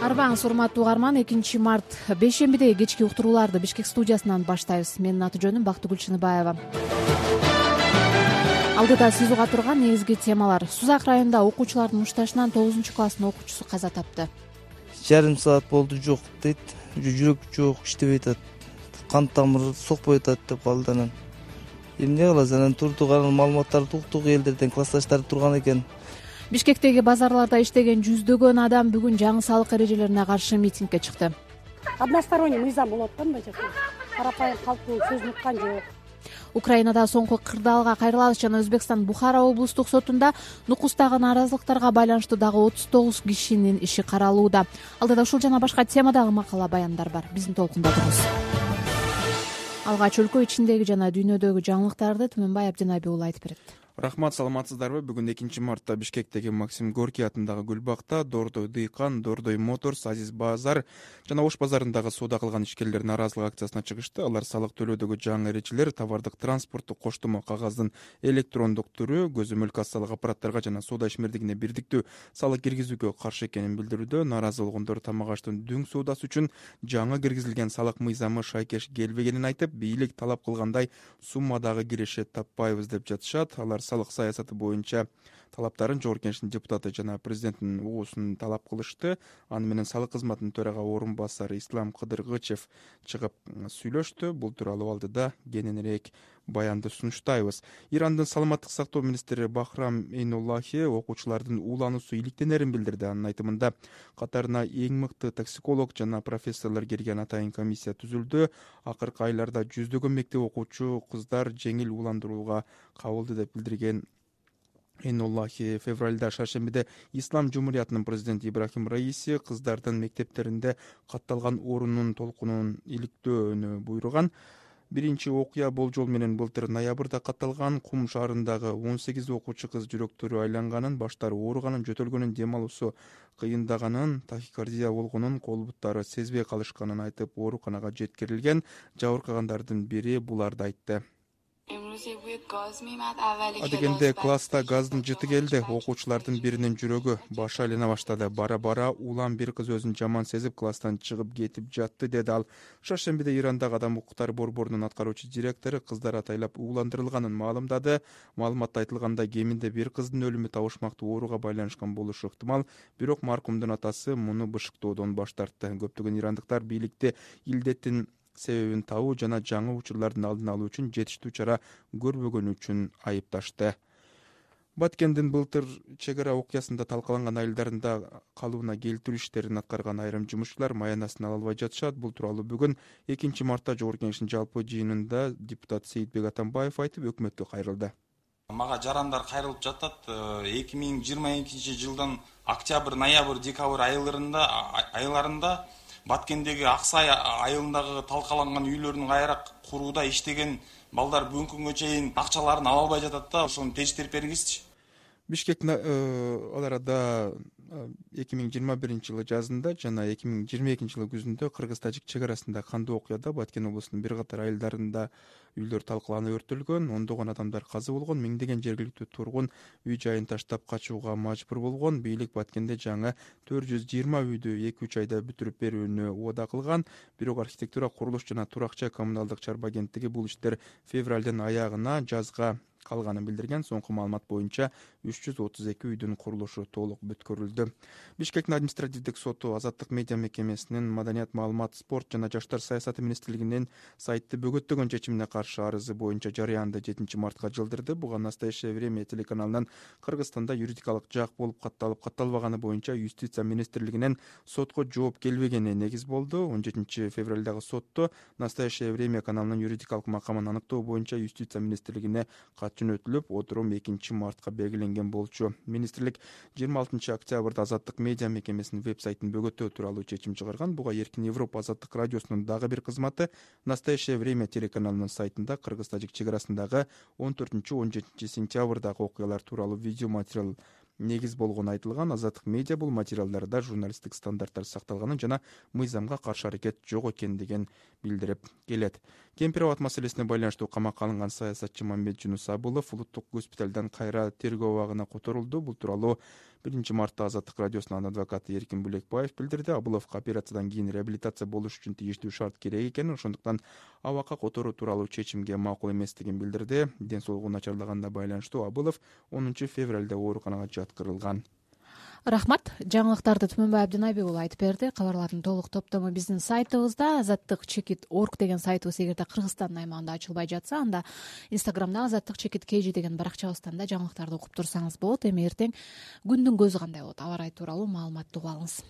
Арбаңыз урматтуу угарман, 2 март бейшембидеги кечки уктурууларды Бишкек студиясынан баштайбыз. Менин аты жөнүм Бактыгүл Чыныбаева. Алдыда сиз уга турган негизги темалар. Сузак районунда окуучулардын мушташынан 9-класстын окуучусу каза тапты. Жарым саат болду жок дейт. Жүрөк жок, иштебей атат. Кан тамыры сокпой атат деп калды анан. Эмне кылабыз? Анан турдук, анан маалыматтарды уктук, элдерден классташтары турган экен. Бишкектеги базарларда иштеген жүздөгөн адам бүгүн жаңы салык эрежелерине каршы митингге чыкты. Односторонний мыйзам болот да мына жерде. Карапайым калктын сөзүн уккан жок. Украинада соңку кырдаалга кайрылабыз жана Өзбекстан Бухара облустук сотунда нукустагы нааразылыктарга байланыштуу дагы 39 кишинин иши каралууда. Алдыда ушул жана башка темадагы макала баяндар бар. Биздин толкунда туруңуз. Алгач өлкө ичиндеги жана дүйнөдөгү жаңылыктарды Түмөнбай Абдинабий уулу айтып берет. Рахмат, саламатсыздарбы? Бүгүн 2-мартта Бишкектеги Максим Горький атындагы Гүлбакта Дордой Дыйкан, Дордой Моторс, Азиз Базар жана Ош базарындагы соода кылган ишкерлер нааразылык акциясына чыгышты. Алар салык төлөөдөгү жаңы эрежелер, товардык транспорттук коштомо кагаздын электрондук түрү, көзөмөл кассалык аппараттарга жана соода ишмердигине бирдиктүү салык киргизүүгө каршы экенин билдирүүдө. Нааразы болгондор тамак аштын дүң соодасы үчүн жаңы киргизилген салык мыйзамы шайкеш келбегенин айтып, бийлик талап кылгандай суммадагы кирешет таппайбыз деп жатышат. Алар салык саясаты боюнча талаптарын Жогорку Кеңештин депутаты жана президенттин угуусун талап кылышты. Аны менен салык кызматынын төрага орун басары Ислам Кыдыргычев чыгып сүйлөштү. Бул тууралуу алдыда кененирээк баянды сунуштайбыз. Ирандын саламаттык сактоо министри Бахрам Эйнуллахи окуучулардын уулануусу иликтенерин билдирди. Анын айтымында катарына эң мыкты токсиколог жана профессорлор кирген атайын комиссия түзүлдү. Акыркы айларда жүздөгөн мектеп окуучу кыздар жеңил ууландырууга кабылды деп билдирген Эйнуллахи февралда шаршембиде Ислам Жумуриятынын президенти Ибрахим Раиси кыздардын мектептеринде катталган орунун толкунун иликтөөнү буйруган. Биринчи окуя болжол менен былтыр ноябрда катталган. Кум шаарындагы 18 окуучу кыз жүрөктөрү айланганын, баштары ооруганын, жөтөлгөнүн, дем алуусу кыйындаганын, тахикардия болгонун, кол буттары сезбей калышканын айтып, ооруканага жеткирилген. Жабыркагандардын бири буларды айтты. Адегенде класста газдын жыты келди. Окуучулардын биринин жүрөгү башы айлана баштады. Бара-бара улам бир кыз өзүн жаман сезип класстан чыгып кетип жатты, деди ал. Шаршембиде Ирандагы Адам укуктары борборунун аткаруучу директору кыздар атайлап ууландырылганын маалымдады. Маалыматта айтылгандай, кеминде бир кыздын өлүмү табышмактуу ооруга байланышкан болушу ыктымал. Бирок маркумдун атасы муну бышыктоодон баш тартты. Көптөгөн ирандыктар бийликти илдеттин себебин табуу жана жаңы учурлардын алдын алуу үчүн жетиштүү чара көрбөгөнү үчүн айыпташты. Баткендин былтыр чек ара окуясында талкаланган айылдарында калыбына келтирүү иштерин аткарган айрым жумушчулар маянасын ала албай жатышат. Бул тууралуу бүгүн 2-мартта Жогорку Кеңештин жалпы жыйынында депутат Сейитбек Атамбаев айтып, өкмөткө кайрылды. Мага жарандар кайрылып жатат. 2022 жылдын октябрь, ноябрь, декабрь айларында Баткендеги Аксай айылындагы талкаланган үйлөрдүн кайра курууда иштеген балдар бүгүнкү күнгө чейин акчаларын ала албай жатат да. Ошону тештирип бериңизчи. Бишкек ал арада 2021 жылы жазында жана 2022 жылы күзүндө кыргыз-тажик чек арасында кандуу окуяда Баткен облусунун бир катар айылдарында үйлөр талкаланып өртөлгөн, ондогон адамдар каза болгон, миңдеген жергиликтүү тургун үй жайын таштап качууга мажбур болгон. Бийлик Баткенде жаңы 420 үйдү 2-3 айда бүтүрүп берүүнү убада кылган. Бирок архитектура, курулуш жана турак-жай коммуналдык чарба агенттиги бул иштер февралдын аягына жазга калганын билдирген. Соңку маалымат боюнча 332 үйдүн курулушу толук бүткөрүлдү. Бишкектин административдик соту Азаттык медиа мекемесинин Маданият, маалымат, спорт жана жаштар саясаты министрлигинин сайтты бөгөттөгөн чечимине каршы арызы боюнча жарыянды 7-мартка жылдырды. Буга Настоящее время телеканалынан Кыргызстанда юридикалык жак болуп катталып катталбаганы боюнча юстиция министрлигинен сотко жооп келбегени негиз болду. 17 февралдагы сотто Настоящее время каналынын юридикалык макамын аныктоо боюнча юстиция министрлигине жөнөтүлүп, отурум 2-мартка белгиленген болчу. Министрлик 26 октябрда Азаттык медиа мекемесинин веб-сайтын бөгөтөө тууралуу чечим чыгарган. Буга Эркин Европа Азаттык радиосунун дагы бир кызматы Настоящее время телеканалынын сайтында кыргыз-тажик чек арасындагы 14-17 сентябрдагы окуялар тууралуу видео материал негиз болгону айтылган. Азаттык медиа бул материалдарда журналисттик стандарттар сакталганын жана мыйзамга каршы аракет жок экендигин билдирип келет. Кемпир абад маселесине байланыштуу камакка алынган саясатчы Мамбет Жунус Абылов улуттук госпиталдан кайра тергөө абагына которулду. Бул тууралуу 1 мартта Азаттык радиосунун адвокаты Эркин Булекбаев билдирди. Абыловго операциядан кийин реабилитация болуш үчүн тийиштүү шарт керек экенин, ошондуктан абакка которуу тууралуу чечимге макул эместигин билдирди. Ден соолугу начарлаганына байланыштуу Абылов 10 февралда ооруканага жаткырылган. Рахмат. Жаңылыктарды Түмөнбай Абдинайбек уулу айтып берди. Кабарлардын толук топтому биздин сайтыбызда azattik.org деген сайтыбыз эгерде Кыргызстандын аймагында ачылбай жатса, анда Инстаграмда azattik.kg деген баракчабыздан да жаңылыктарды окуп турсаңыз болот. Эми эртең күндүн көзү кандай болот? Аба ырайы тууралуу маалыматты угуп алыңыз.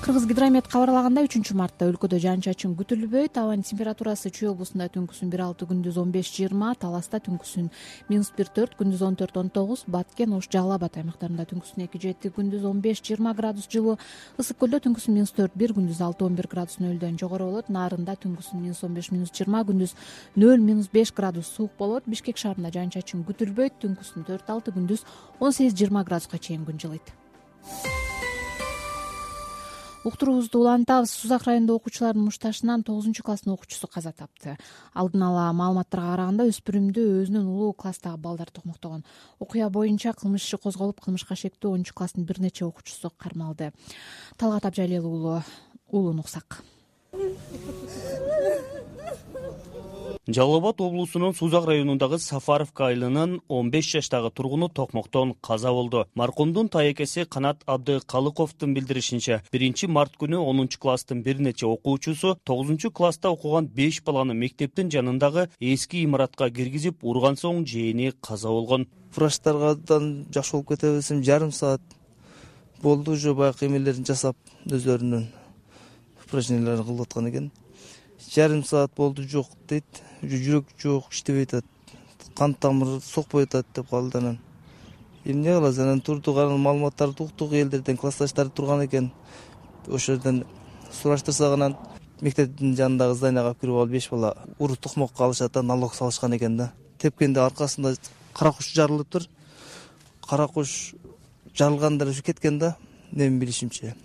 Кыргызгидромет кабарлагандай 3 мартта өлкөдө жаан-чачын күтүлбөйт. Абанын температурасы Чүй облусунда түнкүсүн 1,6, күндүз 15-20, Таласта түнкүсүн -1,4, күндүз 14-19, Баткен, Ош, Жалал Абад аймактарында түнкүсүн 2-7, күндүз 15-20 градус жылуу, Ысык көлдө түнкүсүн -4-1, күндүз 6-11 градус нөлдөн жогору болот. Нарында түнкүсүн -15-20, күндүз 0-5 градус суук болот. Бишкек шаарында жаан-чачын күтүлбөйт, түнкүсүн 4-6, күндүз 18-20 градуска чейин күн жылыйт. Уктуруубузду улантабыз. Сузак районунда окуучулардын мушташынан 9-класстын окуучусу каза тапты. Алдын ала маалыматтарга караганда өспүрүмдү өзүнөн улуу класстагы балдар токмоктогон. Окуя боюнча кылмыш иши козголуп, кылмышка шектүү 10-класстын бир нече окуучусу кармалды. Талгат Абжалел уулу Нуксак. Жалал Абад облусунун Сузак районундагы Сафаровка айылынын 15 жаштагы тургуну токмоктон каза болду. Маркумдун тайекеси Канат Абдыкалыковдун билдиришинче, 1 март күнү 10-класстын бир нече окуучусу 9-класста окуган 5 баланы мектептин жанындагы эски имаратка киргизип урган соң жээни каза болгон. Врачтардан жакшы болуп кетебиз, жарым саат болду уже баягы эмелерин жасап, өзлөрүнүн упражненияларын кылып аткан экен. Жарым саат болду, жок дейт. Жүрөк жок, иштебей атат. Кан тамыры сокпой атат деп калды. Анан эмне кылабыз? Анан турдук, анын маалыматтарды уктук, элдерден классташтары турган экен. Ошол жерден сураштырсак, анан мектептин жанындагы зданияга алып кирип алып 5 бала уру токмокко алышат да, налог салышкан экен да. Тепкенде аркасында кара куш жарылыптыр. Кара куш жарылгандар ушу кеткен да, менин билишимче.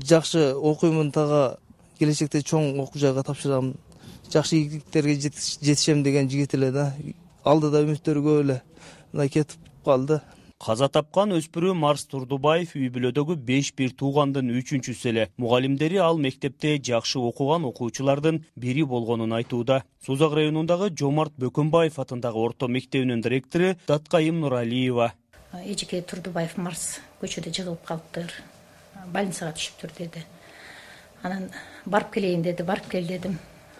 Жакшы окуймун, тага келечекте чоң окуу жайга тапшырам, жакшы ийгиликтерге жетишем деген жигит эле да. Алдыда үмүттөрү көп эле. Мына кетип калды. Каза тапкан өспүрүм Марс Турдубаев үй бүлөдөгү 5 бир туугандын 3-чүсү эле. Мугалимдери ал мектепте жакшы окуган окуучулардын бири болгонун айтууда. Сузак районундагы Жомарт Бөкөнбаев атындагы орто мектебинин директору Таткайым Нуралиева. Эжеке Турдубаев Марс көчөдө жыгылып калыптыр. Больницага түшүптүр деди. Анан барып келейин деди, барып кел дедим.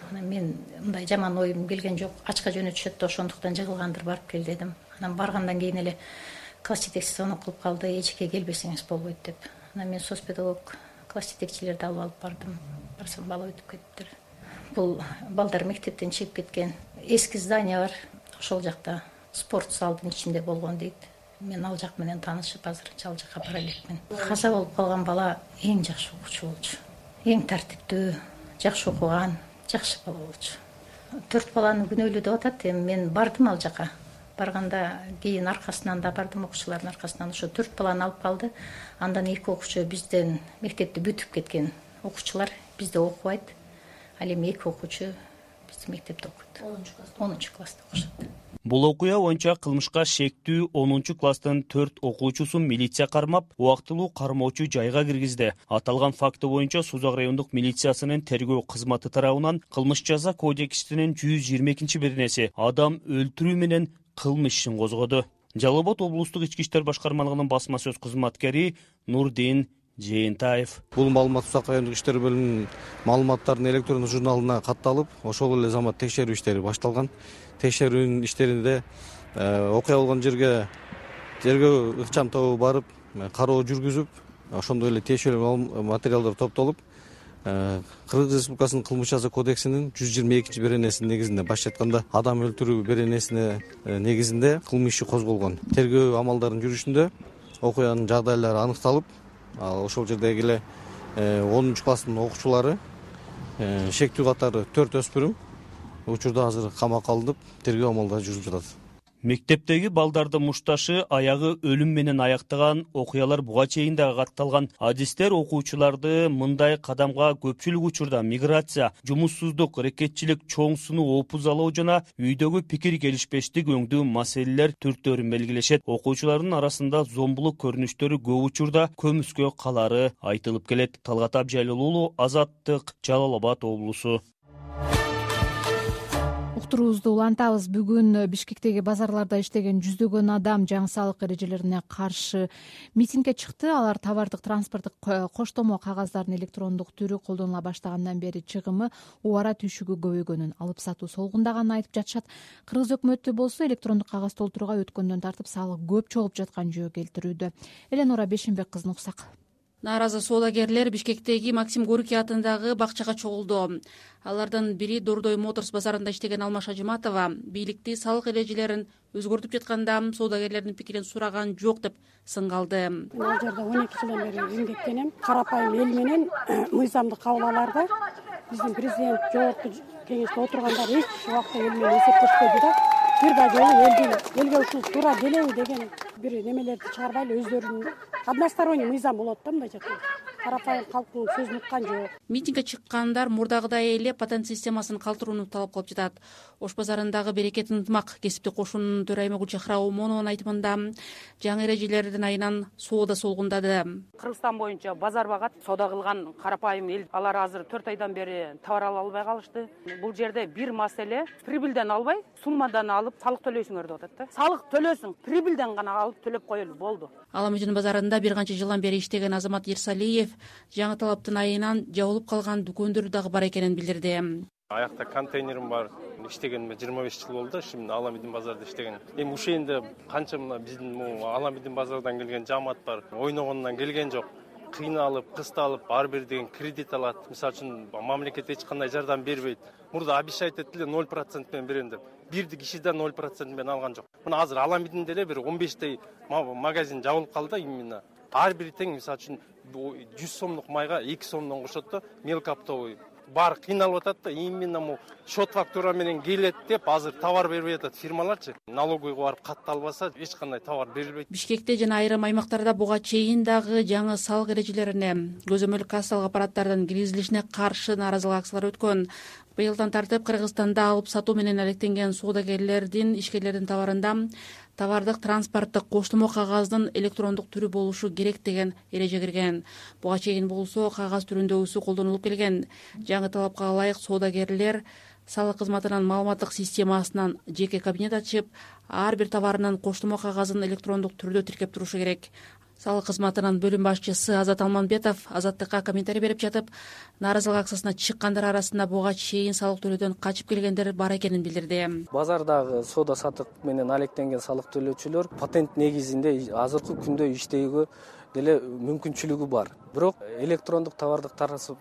Анан мен мындай жаман оюм келген жок, ачка жөнөтүшөт да, ошондуктан жыгылгандыр, барып кел дедим. Анан баргандан кийин эле класс жетекчиси звонок кылып калды, эжеке келбесеңиз болбойт деп. Анан мен соцпедагог класс жетекчилерди алып бардым. Барсам бала өтүп кетиптир. Бул балдар мектептен чыгып кеткен. Эски здание бар, ошол жакта спорт залдын ичинде болгон дейт. Мен ал жак менен таанышып, азырынча ал жакка бара элекмин. Каза болуп калган бала эң жакшы окуучу болчу. Эң тартиптүү, жакшы окуган, жакшы бала болчу. 4 баланы күнөөлүү деп атат. Мен бардым ал жака. Барганда кийин аркасынан да бардым, окуучулардын аркасынан. Ошо 4 баланы алып калды. Андан 2 окуучу бизден мектепти бүтүп кеткен окуучулар бизде окубайт. Ал эми 2 окуучу биздин мектепте окуйт. 10-класста окушат. Бул окуя боюнча кылмышка шектүү 10-класстын 4 окуучусун милиция кармап, убактылуу кармоочу жайга киргизди. Аталган факты боюнча Сузак райондук милициясынын тергөө кызматы тарабынан кылмыш жаза кодексинин 122-беренеси адам өлтүрүү менен кылмыш ишин козгоду. Жалал Абад облустук ички иштер башкармалыгынын басма сөз кызматкери Нурдин Жээнтаев. Бул маалымат Сузак райондук иштер бөлүмүнүн маалыматтарынын электрондук журналына катталып, ошол эле замат текшерүү иштери башталган. Текшерүүнүн иштеринде окуя болгон жерге тергөө ыкчам тобу барып, кароо жүргүзүп, ошондой эле тиешелүү материалдар топтолуп, Кыргыз Республикасынын кылмыш жаза кодексинин 122-беренесинин негизинде, башкача айтканда адам өлтүрүү беренесине негизинде кылмыш иши козголгон. Тергөө амалдарынын жүрүшүндө окуянын жагдайлары аныкталып, ошол жердеги эле 10-класстын окуучулары шектүү катары 4 өспүрүм учурда азыр камакка алынып, тергөө амалдары жүрүп жатат. Мектептеги балдарды мушташы аягы өлүм менен аяктаган окуялар буга чейин дагы катталган. Адистер окуучуларды мындай кадамга көпчүлүк учурда миграция, жумуссуздук, рекетчилик, чоң сынуу, опуз алуу жана үйдөгү пикир келишпештик өңдүү маселелер түртөөрүн белгилешет. Окуучулардын арасында зомбулук көрүнүштөрү көп учурда көмүскө калары айтылып келет. Талгат Абжайлуу уулу, Азаттык, Жалал Абад облусу. Уктуруубузду улантабыз. Бүгүн Бишкектеги базарларда иштеген жүздөгөн адам жаңы салык эрежелерине каршы митингге чыкты. Алар товардык транспорттук коштомо кагаздардын электрондук түрү колдонула баштагандан бери чыгымы убара түйшүгү көбөйгөнүн, алып сатуу солгундаганын айтып жатышат. Кыргыз өкмөтү болсо электрондук кагаз толтурууга өткөндөн тартып салык көп чогулуп жаткан жөө келтирүүдө. Эленора Бешенбек кызын уксак. Нааразы соодагерлер Бишкектеги Максим Горький атындагы бакчага чогулду. Алардын бири Дордой Моторс базарында иштеген Алмаш Ажыматова бийликти салык эрежелерин өзгөртүп жатканда соодагерлердин пикирин сураган жок деп сынга алды. Ал жерде 12 жылдан бери эмгектенем. Карапайым эл менен мыйзамды кабыл аларда биздин президент жогорку кеңеште отургандар эч убакта эл менен эсептешпеди да. Бир да жолу элге ушул туура делеби деген бир немелерди чыгарбайлы өздөрүнүн односторонний мыйзам болот да мындай жакта. Карапайым калктын сөзүн уккан жок. Митингге чыккандар мурдагыдай эле патент системасын калтырууну талап кылып жатат. Ош базарындагы Берекет ынтымак кесиптик кошунунун төрайымы Гүлчахра Омонованын айтымында жаңы эрежелердин айынан соода солгундады. Кыргызстан боюнча базар багат, соода кылган карапайым эл алар азыр 4 айдан бери товар ала албай калышты. Бул жерде бир маселе прибыльден албай, суммадан алып салык төлөйсүңөр деп атат да. Салык төлөсүң, прибыльден гана алып төлөп коелу болду. Аламүдүн базарында бир канча жылдан бери иштеген Азамат Ерсалиев жаңы талаптын айынан жабылып калган дүкөндөр дагы бар экенин билдирди. Аякта контейнерим бар. Иштегениме 25 жыл болду. Şimdi Аламүдүн базарда иштеген. Эми ушенде канча мына биздин Аламүдүн базардан келген жамаат бар. Ойногондон келген жок. Кыйналып, кысталып, ар бир деген кредит алат. Мисалы үчүн мамлекет эч кандай жардам бербейт. Мурда обещать этти 0% менен берем деп. Бирди кишиден 0% менен алган жок. Мына азыр Аламүдүндө эле бир 15 магазин жабылып калды именно. Ар бир тең мисалы үчүн 100 сомдук майга 2 сомдон кошот да, мелкоптовый бар кыйналып атат да, именно му счет фактура менен келет деп азыр товар бербей атат фирмаларчы. Налоговыйга барып катталбаса эч кандай товар берилбейт. Бишкекте жана айрым аймактарда буга чейин дагы жаңы салык эрежелерине, көзөмөл кассалык аппараттардын киргизилишине каршы нааразылык акциялар өткөн. Быйылдан тартып Кыргызстанда алып сатуу менен алектенген соодагерлердин, ишкерлердин товарында товардык транспорттук коштомо кагаздын электрондук түрү болушу керек деген эреже кирген. Буга чейин болсо кагаз түрүндөгүсү колдонулуп келген. Жаңы талапка ылайык соодагерлер салык кызматынын маалыматтык системасынан жеке кабинет ачып, ар бир товарынын коштомо кагазын электрондук түрдө тиркеп турушу керек. Салык кызматынын бөлүм башчысы Азат Алманбетов Азаттыкка комментарий берип жатып, нааразылык акциясына чыккандар арасында буга чейин салык төлөөдөн качып келгендер бар экенин билдирди. Базардагы соода сатык менен алектенген салык төлөөчүлөр патент негизинде азыркы күндө иштөөгө деле мүмкүнчүлүгү бар. Бирок электрондук товардык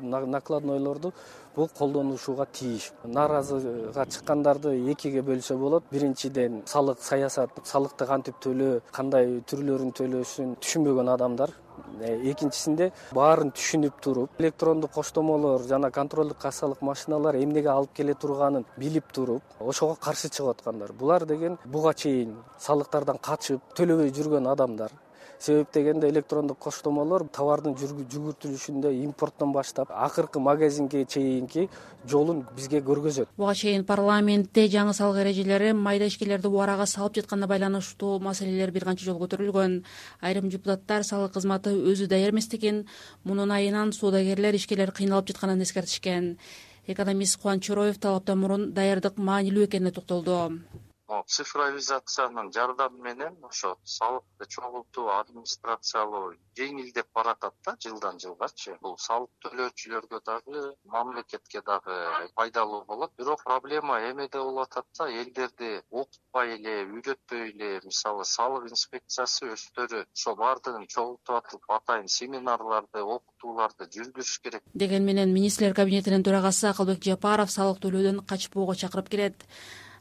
накладнойлорду бул колдонушууга тийиш. Нааразыга чыккандарды экиге бөлсө болот. Биринчиден салык саясат, салыкты кантип төлөө, кандай түрлөрүн төлөшүн түшүнбөгөн адамдар. Экинчисинде баарын түшүнүп туруп, электрондук коштомолор жана контролдук кассалык машиналар эмнеге алып келе турганын билип туруп, ошого каршы чыгып аткандар. Булар деген буга чейин салыктардан качып төлөбөй жүргөн адамдар. Себеп дегенде электрондук коштомолор товардын жүгүртүлүшүндө импорттон баштап акыркы магазинге чейинки жолун бизге көргөзөт. Буга чейин парламентте жаңы салык эрежелери майда ишкерлерди убарага салып жатканына байланыштуу маселелер бир канча жолу көтөрүлгөн. Айрым депутаттар салык кызматы өзү даяр эместигин, мунун айынан соодагерлер, ишкерлер кыйналып жатканын эскертишкен. Экономист Кубаныч Чороев талаптан мурун даярдык маанилүү экенине токтолду. Цифровизациянын жардамы менен ошо салыкты чогултуу, администрациялоо жеңилдеп баратат да жылдан жылгачы. Бул салык төлөөчүлөргө дагы, мамлекетке дагы пайдалуу болот. Бирок проблема эмеде болуп атат да, элдерди окутпай эле, үйрөтпөй эле, мисалы салык инспекциясы өздөрү ошо баардыгын чогултуп атып, атайын семинарларды, окутууларды жүргүзүш керек. Деген менен министрлер кабинетинин төрагасы Акылбек Жапаров салык төлөөдөн качпоого чакырып келет.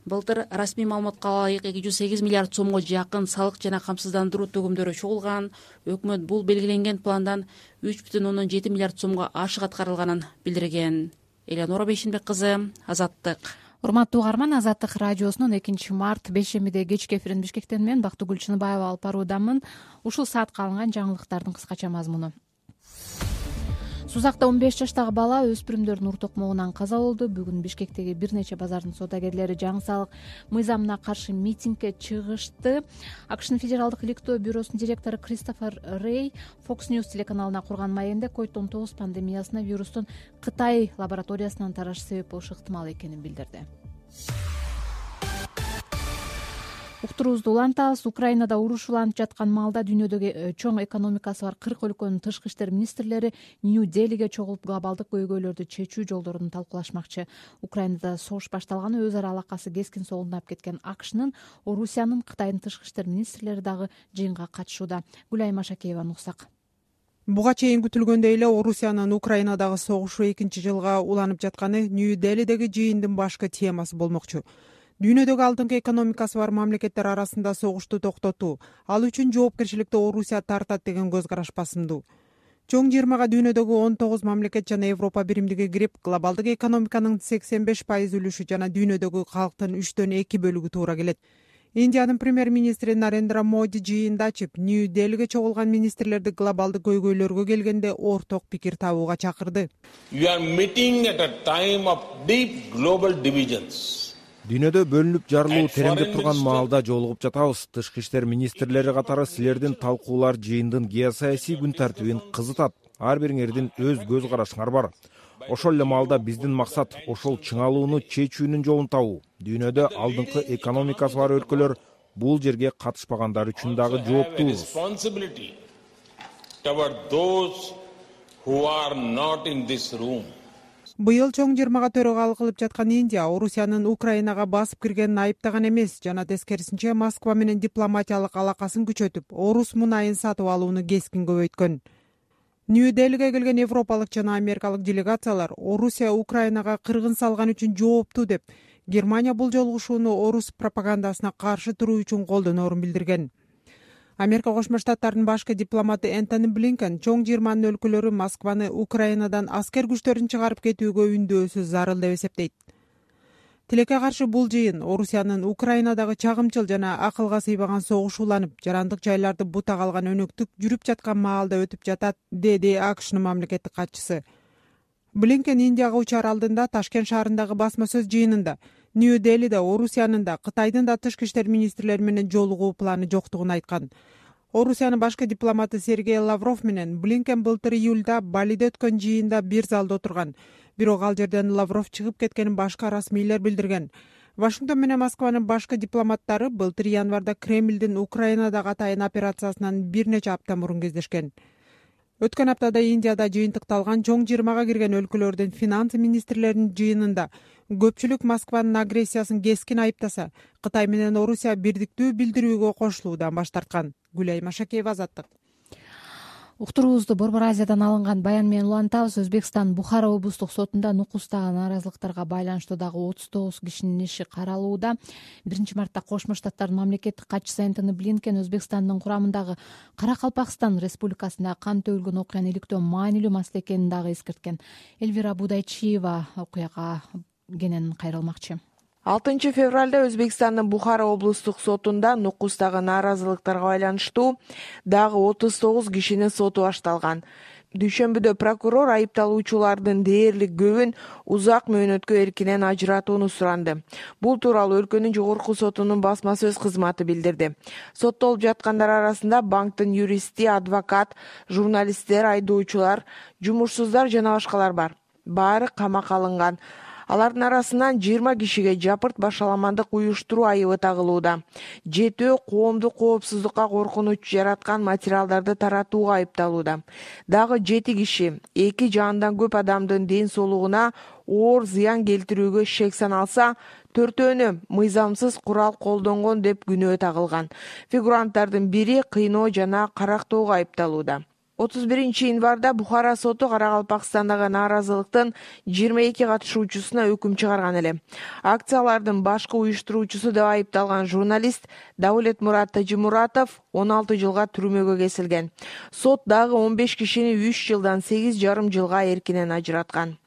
Былтыр расмий маалыматка ылайык 208 миллиард сомго жакын салык жана камсыздандыруу төгүмдөрү чогулган. Өкмөт бул белгиленген пландан 3,7 миллиард сомго ашык аткарылганын билдирген. Эленора Бейшенбек кызы, Азаттык. Урматтуу угарман, Азаттык радиосунун 2-март бейшембиде кечки эфирин Бишкектен мен Бактыгүл Чыныбаева алып баруудамын. Ушул саатка алынган жаңылыктардын кыскача мазмуну. Сузакта 15 жаштагы бала өспүрүмдөрдүн ур токмогунан каза болду. Бүгүн Бишкектеги бир нече базардын соодагерлери жаңы салык мыйзамына каршы митингге чыгышты. АКШнын Федералдык иликтөө бюросунун директору Кристофер Рей Fox News телеканалына курган маегинде COVID-19 пандемиясына вирустун Кытай лабораториясынан тарашы себеп болушу ыктымал экенин билдирди. Уктуруубузду улантабыз. Украинада уруш уланып жаткан маалда дүйнөдөгү чоң экономикасы бар 40 өлкөнүн тышкы иштер министрлери Нью-Делиге чогулуп глобалдык көйгөйлөрдү чечүү жолдорун талкуулашмакчы. Украинада согуш башталганы өз ара алакасы кескин соолдунап кеткен АКШнын, Орусиянын, Кытайдын тышкы иштер министрлери дагы жыйынга катышууда. Гүлайым Ашакееваны уксак. Буга чейин күтүлгөндөй эле Орусиянын Украинадагы согушу 2-жылга уланып жатканы Нью-Делидеги жыйындын башкы темасы болмокчу. Дүйнөдөгү алдыңкы экономикасы бар мамлекеттер арасында согушту токтотуу, ал үчүн жоопкерчиликти Орусия тартат деген көз караш басымдуу. Чоң жыйырмага дүйнөдөгү 19 мамлекет жана Европа биримдиги кирип, глобалдык экономиканын 85% үлүшү жана дүйнөдөгү калктын 3/2 бөлүгү туура келет. Индиянын премьер-министри Нарендра Моди жыйында ачып, Нью-Делиге чогулган министрлерди глобалдык көйгөйлөргө келгенде орток пикир табууга чакырды. Дүйнөдө бөлүнүп жарылуу тереңдеп турган маалда жолугуп жатабыз. Тышкы иштер министрлери катары силердин талкуулар жыйындын геосаясий күн тартибин кызытат. Ар бириңердин өз көз карашыңар бар. Ошол эле маалда биздин максат ошол чыңалууну чечүүнүн жолун табуу. Дүйнөдө алдыңкы экономикасы бар өлкөлөр бул жерге катышпагандар үчүн дагы жооптуубуз. Быйыл чоң жыйырмага төрагалык кылып жаткан Индия Орусиянын Украинага басып киргенин айыптаган эмес, жана тескерисинче Москва менен дипломатиялык алакасын күчөтүп, орус мунайын сатып алууну кескин көбөйткөн. Нью-Делиге келген европалык жана америкалык делегациялар Орусия Украинага кыргын салган үчүн жооптуу деп, Германия бул жолугушууну орус пропагандасына каршы туруу үчүн колдоноорун билдирген. Америка Кошмо Штаттарынын башкы дипломаты Энтони Блинкен чоң жыйырманын өлкөлөрү Москваны Украинадан аскер күчтөрүн чыгарып кетүүгө үндөөсү зарыл деп эсептейт. Тилекке каршы бул жыйын Орусиянын Украинадагы чагымчыл жана акылга сыйбаган согуш уланып, жарандык жайларды бута калган өнөктүк жүрүп жаткан маалда өтүп жатат, деди АКШнын мамлекеттик катчысы. Блинкен Индияга учар алдында Ташкент шаарындагы басма сөз жыйынында Нью-Делиде Орусиянын да, Кытайдын да тышкы иштер министрлери менен жолугуу планы жоктугун айткан. Орусиянын башкы дипломаты Сергей Лавров менен Блинкен былтыр июлда Балиде өткөн жыйында бир залда отурган. Бирок ал жерден Лавров чыгып кеткенин башка расмийлер билдирген. Вашингтон менен Москванын башкы дипломаттары былтыр январда Кремлдин Украинадагы атайын операциясынан бир нече апта мурун кездешкен. Өткөн аптада Индияда жыйынтыкталган чоң жыйырмага кирген өлкөлөрдүн финанс министрлеринин жыйынында көпчүлүк Москванын агрессиясын кескин айыптаса, Кытай менен Орусия бирдиктүү билдирүүгө кошулуудан баш тарткан. Гүлайым Ашакеева, Азаттык. Уктуруубузду Борбор Азиядан алынган баян менен улантабыз. Өзбекстан Бухара облустук сотунда нукустагы нааразылыктарга байланыштуу дагы 39 кишинин иши каралууда. 1-мартта Кошмо Штаттардын мамлекеттик катчысы Энтони Блинкен Өзбекстандын курамындагы Каракалпакстан Республикасында кан төгүлгөн окуяны иликтөө маанилүү маселе экенин дагы эскерткен. Эльвира Будайчиева окуяга кенен кайрылмакчы. 6 февралда Өзбекстандын Бухара облустук сотунда нукустагы нааразылыктарга байланыштуу дагы 39 кишинин соту башталган. Дүйшөмбүдө прокурор айыпталуучулардын дээрлик көбүн узак мөөнөткө эркинен ажыратууну суранды. Бул тууралуу өлкөнүн жогорку сотунун басма сөз кызматы билдирди. Соттолуп жаткандар арасында банктын юристи, адвокат, журналисттер, айдоочулар, жумушсуздар жана башкалар бар. Баары камакка алынган. Алардын арасынан 20 кишиге жапырт башаламандык уюштуруу айыбы тагылууда. 7 коомдук коопсуздукка коркунуч жараткан материалдарды таратууга айыпталууда. Дагы 7 киши 2 жандан көп адамдын ден соолугуна оор зыян келтирүүгө шек саналса, 4-өнү мыйзамсыз курал колдонгон деп күнөө тагылган. Фигуранттардын бири кыйноо жана карактоого айыпталууда. 31 январда Бухара соту Каракалпакстандагы нааразылыктын 22 катышуучусуна өкүм чыгарган эле. Акциялардын башкы уюштуруучусу деп айыпталган журналист Даулет Мурат Тажимуратов 16 жылга түрмөгө кесилген. Сот дагы 15 кишини 3 жылдан 8,5 жылга эркинен ажыраткан.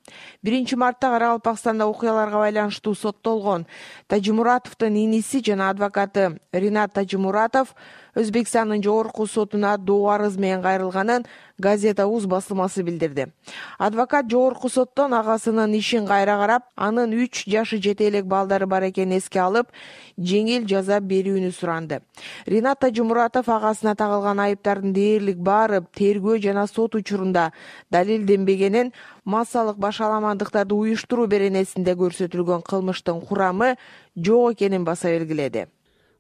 1 мартта Каракалпакстанда окуяларга байланыштуу соттолгон Тажимуратовдун иниси жана адвокаты Ринат Тажимуратов Өзбекстандын жогорку сотуна доо арыз менен кайрылганын Газета.uz басылмасы билдирди. Адвокат жогорку соттон агасынын ишин кайра карап, анын 3 жашы жете элек балдары бар экенин эске алып, жеңил жаза берүүнү суранды. Ринат Тажимуратов агасына тагылган айыптардын дээрлик баары тергөө жана сот учурунда далилденбегенин, массалык башаламандыктарды уюштуруу беренесинде көрсөтүлгөн кылмыштын курамы жок экенин баса белгиледи.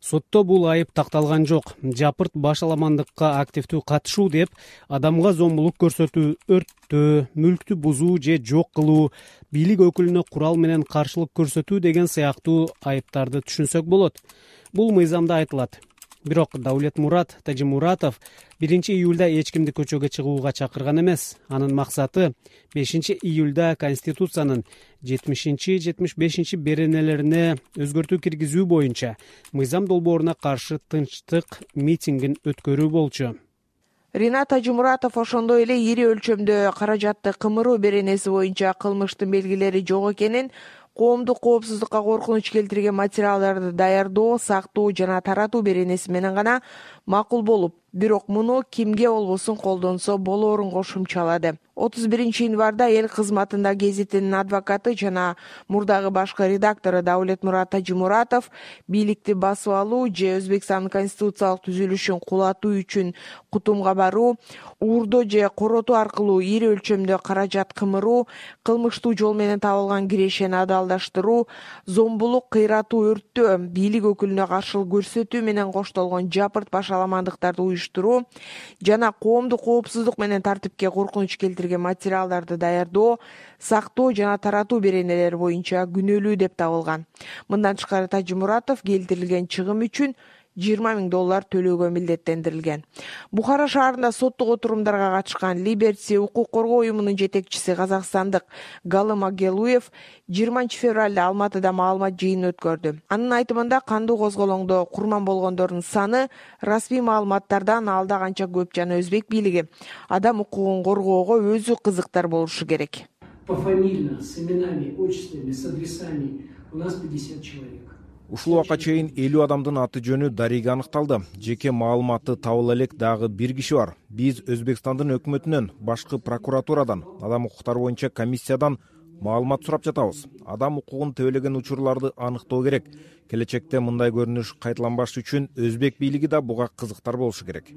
Сотто бул айып такталган жок. Жапырт башаламандыкка активдүү катышуу деп адамга зомбулук көрсөтүү, өрттөө, мүлктү бузуу же жок кылуу, бийлик өкүлүнө курал менен каршылык көрсөтүү деген сыяктуу айыптарды түшүнсөк болот. Бул мыйзамда айтылат. Бирок Даулетмурат Тажимуратов 1-июлда эч кимди көчөгө чыгууга чакырган эмес. Анын максаты 5-июлда Конституциянын 70-75 беренелерине өзгөртүү киргизүү боюнча мыйзам долбооруна каршы тынчтык митингин өткөрүү болчу. Ринат Тажимуратов ошондой эле ири өлчөмдө каражатты кымыруу беренеси боюнча кылмыштын белгилери жок экенин, коомдук коопсуздукка коркунуч келтирген материалдарды даярдоо, сактоо жана таратуу беренеси менен гана макул болуп, бирок муну кимге болбосун колдонсо болоорун кошумчалады. 31-январда эл кызматында гезитинин адвокаты жана мурдагы башкы редактору Даулетмурат Тажимуратов бийликти басып алуу же Өзбекстандын конституциялык түзүлүшүн кулатуу үчүн кутумга баруу, уурдоо же коротуу аркылуу ири өлчөмдө каражат кымыруу, кылмыштуу жол менен табылган кирешени адалдаштыруу, зомбулук, кыйратуу, өрттөө, бийлик өкүлүнө каршылык көрсөтүү менен коштолгон жапырт башаламандыктарды уюштуруу жана коомдук коопсуздук менен тартипке коркунуч келтирген материалдарды даярдоо, сактоо жана таратуу беренелери боюнча күнөөлүү деп табылган. Мындан тышкары Тажимуратов келтирилген чыгым үчүн $20,000 төлөөгө милдеттендирилген. Бухара шаарында соттук отурумдарга катышкан Либерти укук коргоо уюмунун жетекчиси казакстандык Галым Агелуев 20 февралда Алматыда маалымат жыйынын өткөрдү. Анын айтымында кандуу козголоңдо курман болгондордун саны расмий маалыматтардан алда канча көп жана өзбек бийлиги адам укугун коргоого өзү кызыктар болушу керек. Пофамильно, с именами, отчествами, с адресами у нас 50 человек. Ушул убакка чейин 50 адамдын аты жөнү дареге аныкталды. Жеке маалыматы табыла элек дагы бир киши бар. Биз Өзбекстандын өкмөтүнөн, башкы прокуратурадан, адам укуктары боюнча комиссиядан маалымат сурап жатабыз. Адам укугун тебелеген учурларды аныктоо керек. Келечекте мындай көрүнүш кайталанбаш үчүн өзбек бийлиги да буга кызыктар болушу керек.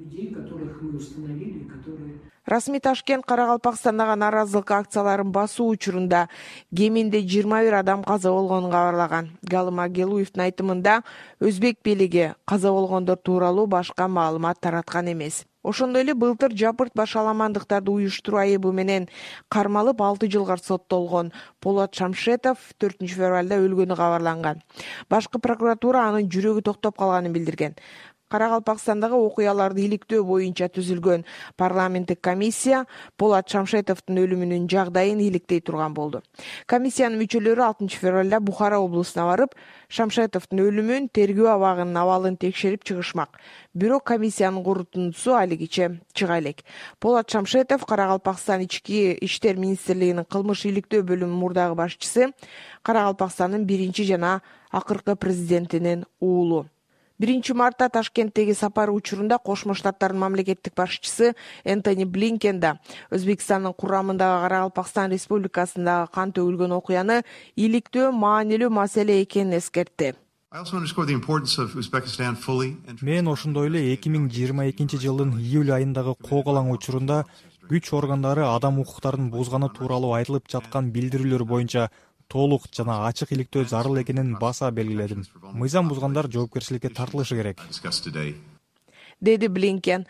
Расмий Ташкент Каракалпакстандагы нааразылык акцияларын басуу учурунда кеминде 21 адам каза болгонун кабарлаган. Галым Агелуевдин айтымында өзбек бийлиги каза болгондор тууралуу башка маалымат тараткан эмес. Ошондой эле былтыр жапырт башаламандыктарды уюштуруу айыбы менен кармалып 6 жылга соттолгон Полат Шамшетов 4 февралда өлгөнү кабарланган. Башкы прокуратура анын жүрөгү токтоп калганын билдирген. Каракалпакстандагы окуяларды иликтөө боюнча түзүлгөн парламенттик комиссия Полат Шамшетовдун өлүмүнүн жагдайын иликтей турган болду. Комиссиянын мүчөлөрү 6 февралда Бухара облусуна барып, Шамшетовдун өлүмүн, тергөө абагынын абалын текшерип чыгышмак. Бирок комиссиянын корутундусу алигиче чыга элек. Полат Шамшетов Каракалпакстан ички иштер министрлигинин кылмыш иликтөө бөлүмүнүн мурдагы башчысы, Каракалпакстандын 1 жана акыркы президентинин уулу. 1 мартта Ташкенттеги сапары учурунда Кошмо Штаттардын мамлекеттик башчысы Энтони Блинкен да Өзбекстандын курамындагы Каракалпакстан Республикасындагы кан төгүлгөн окуяны иликтөө маанилүү маселе экенин эскертти. Мен ошондой эле 2022 жылдын июль айындагы коогалаң учурунда күч органдары адам укуктарын бузганы тууралуу айтылып жаткан билдирүүлөр боюнча толук жана ачык иликтөө зарыл экенин баса белгиледим. Мыйзам бузгандар жоопкерчиликке тартылышы керек, деди Блинкен.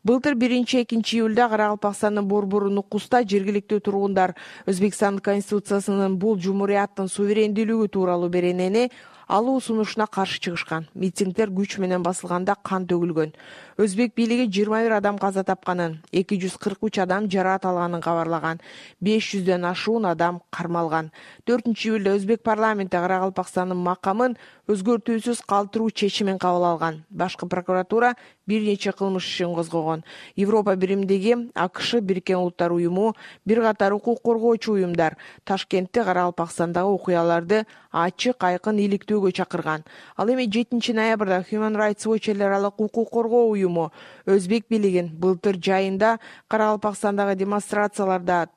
Былтыр 1-2 июлда Каракалпакстандын Борбору Нукуста жергиликтүү тургундар Өзбекстандын конституциясынын бул жумурияттын суверендүүлүгү тууралуу беренени алуу сунушуна каршы чыгышкан. Митингдер күч менен басылганда кан төгүлгөн. Өзбек бийлиги 21 адам каза тапканын, 243 адам жараат алганын кабарлаган. 500дөн ашуун адам кармалган. 4 июлда Өзбек парламенти Каракалпакстандын макамын өзгөртүүсүз калтыруу чечимин кабыл алган. Башкы прокуратура бир нече кылмыш ишин козгогон. Европа биримдиги, АКШ, Бириккен Улуттар уюму, бир катар укук коргоочу уюмдар Ташкентте Каракалпакстандагы окуяларды ачык, айкын иликтөөгө чакырган. Ал эми 7 ноябрда Human Rights Watch эл аралык укук коргоо уюму Өзбек бийлигин былтыр жайында Каракалпакстандагы демонстрацияларда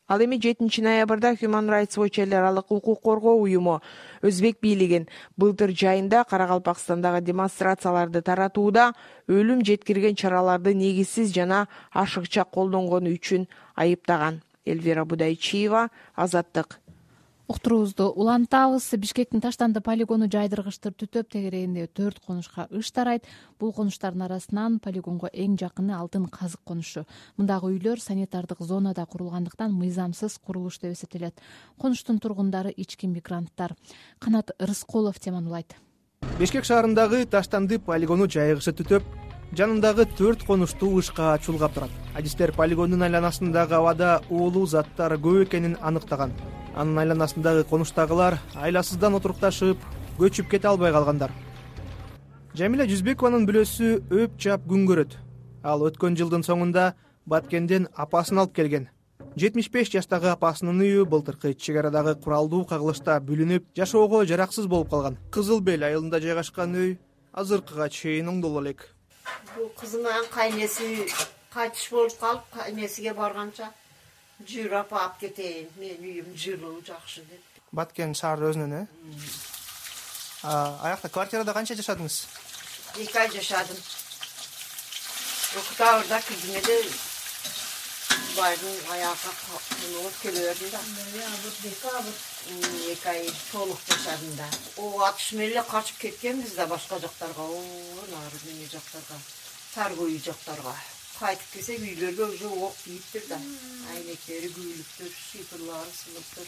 Ал эми 7 ноябрда Human Rights Watch эл аралык укук коргоо уюму Өзбек бийлигин былтыр жайында Каракалпакстандагы демонстрацияларды таратууда өлүм жеткирген чараларды негизсиз жана ашыкча колдонгону үчүн айыптаган. Эльвира Будайчиева, Азаттык. Уктуруубузду улантабыз. Бишкектин Таштанды полигону жайдыргычтыр түтөп тегерегинде 4 конушка ыш тарайт. Бул конуштардын арасынан полигонго эң жакыны Алтын Казык конушу. Мындагы үйлөр санитардык зонада курулгандыктан мыйзамсыз курулуш деп эсептелет. Конуштун тургундары ички мигранттар. Канат Рыскулов теманы улайт. Бишкек шаарындагы Таштанды полигону жайгышы түтөп, жанындагы 4 конуштуу ышка чулгап турат. Адистер полигондун айланасындагы абада уулуу заттар көп экенин аныктаган. Анын айланасындагы конуштагылар айласыздан отурукташып, көчүп кете албай калгандар. Жамиля Жүзбекованын бүлөсү өп жап күн көрөт. Ал өткөн жылдын соңунда Баткенден апасын алып келген. 75 жаштагы апасынын үйү былтыркы чек арадагы куралдуу кагылышта бүлүнүп, жашоого жараксыз болуп калган. Кызыл Бел айылында жайгашкан үй азыркыга чейин оңдоло элек. Бул кызыман кайнеси кайтыш болуп калып, кайнесиге барганча жүр апа алып кетейин, менин үйүм жылуу, жакшы деп. Баткен шаар өзүнөн, Аякта квартирада канча жашадыңыз? 2 ай жашадым. Октябрда киргенде байдын аяка кылып келе бердим да. Декабр 2 ай толук жашадым да. О атыш менен эле качып кеткенбиз да башка жактарга, нары эмне жактарга, Таргой жактарга. Кайтып келсек үйлөргө уже ок тийиптир да. Айнектери, күйлүктөр, шифрлары сынып.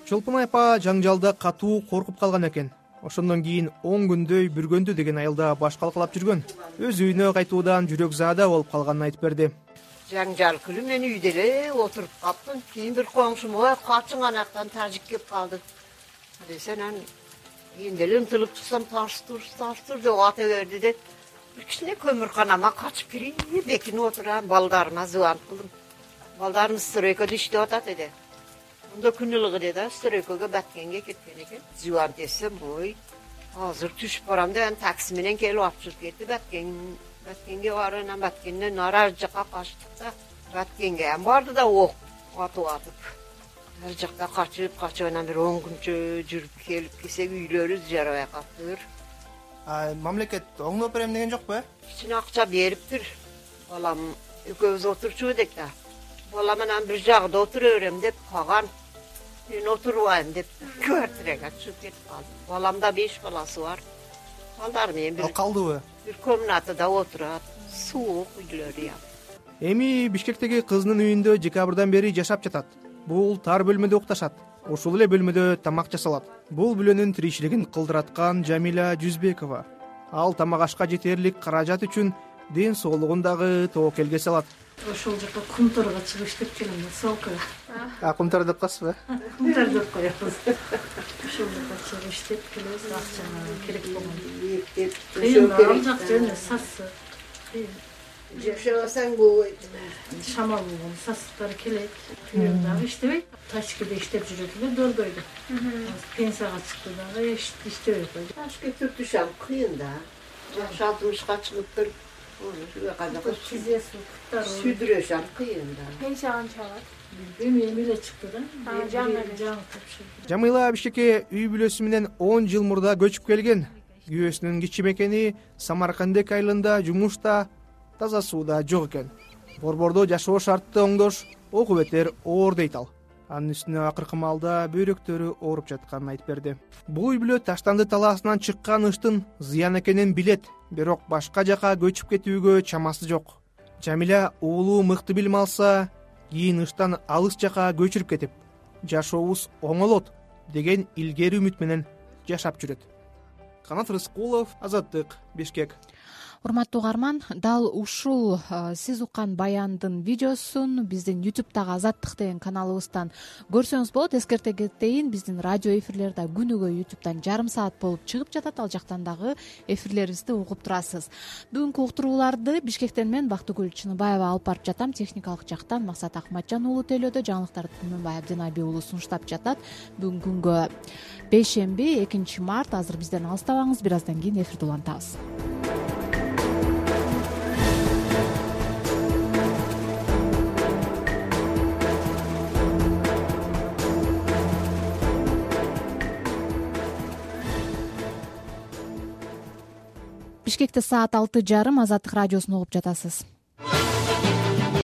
Чолпон апа жаңжалда катуу коркуп калган экен. Ошондон кийин 10 күндөй Бүргөндү деген айылда баш калкалап жүргөн. Өз үйүнө кайтуудан жүрөк заада болуп калганын айтып берди. Жаңжал күнү мен үйдө эле отуруп калптым. Кийин бир коңшум качың анактан тажик кеп калды. Десен кийин эле ынтылып чыксам таш тур деп ата берди деп. Кичине көмүрканама качып кирейин, бекинип отурам, балдарыма звонок кылдым. Балдарым стройкада иштеп атат эди. Мында күн ылыгы деди, стройкага Баткенге кеткен экен. Звонок этсем, азыр түшүп барам деп, такси менен келип алып чыгып кетти. Баткенге барып, Баткенден ар жакка качтык да. Баткенге барды да ок атып. Ар жакка качып анан бир 10 күнчө жүрүп келип келсек үйлөрү жарабай калыптыр. Мамлекет оңдоп берем деген жокпу? Кичине акча бериптир. Балам экөөбүз отурчу эдик да. Балам анан бир жагда отура берем деп калган. Мен отурбайм деп квартирага чыгып кетип калдым. Баламда 5 баласы бар. Балдар менен бир калдыбы? Бир комнатада отурат. Суук үйлөрү. Эми Бишкектеги кызынын үйүндө декабрдан бери жашап жатат. Бул тар бөлмөдө укташат. Ошол эле бөлмөдө тамак жасалат. Бул бүлөнүн тиричилигин кылдыраткан Жамиля Жүзбекова. Ал тамак ашка жетерлик каражат үчүн ден соолугун дагы тобокелге салат. Ошол жака кумторго чыгып иштеп келем, солка. Кумтор деп каласызбы? Кумтор деп коебуз. Ошол жака чыгып иштеп келебиз, акча керек болгон. Ал жакта эмне сасы. Жашабасаң болбойт. Шамал болгон сасыктар келет. Дагы иштебейт. Ташкентте иштеп жүрөт эле Дордойдо. Пенсияга чыкты дагы иштебей койду. Ташкентте түшөм кыйын да. Жакшы 60ка чыгыптыр. Сүдүрөшөм кыйын да. Пенсия канча алат? Эми эле чыкты да. Жаңы Жамила Бишкекке үй бүлөсү менен 10 жыл мурда көчүп келген. Күйөөсүнүн кичи мекени Самаркандек айылында жумушта, таза сууда жок экен. Борбордо жашоо шартты оңдош окубеттер оор дейт ал. Анын үстүнө акыркы маалда бөйрөктөрү ооруп жатканын айтып берди. Бул үй бүлө Таштанды талаасынан чыккан ыштын зыян экенин билет, бирок башка жака көчүп кетүүгө чамасы жок. Жамиля уулу мыкты билим алса, кийин ыштан алыс жака көчүрүп кетип, жашообуз оңолот деген илгери үмүт менен жашап жүрөт. Канат Рыскулов, Азаттык, Бишкек. урматтуу угарман, дал ушул сиз уккан баяндын видеосун биздин YouTube'дагы Азаттык деген каналыбыздан көрсөңүз болот. Эскерте кетейин, биздин радио эфирлери да күнүгө YouTube'дан жарым саат болуп чыгып жатат. Ал жактан дагы эфирлерибизди угуп турасыз. Бүгүнкү уктурууларды Бишкектен мен Бактыгүл Чыныбаева алып барып жатам. Техникалык жактан Максат Акматжан уулу тейлөөдө, жаңылыктарды Түмөнбай Абдинаби уулу сунуштап жатат. Бүгүнкү күнгө бейшемби 2 март. Азыр бизден алыстабаңыз, бир аздан кийин эфирди улантабыз. Бишкекте саат 6:30. Азаттык радиосун угуп жатасыз.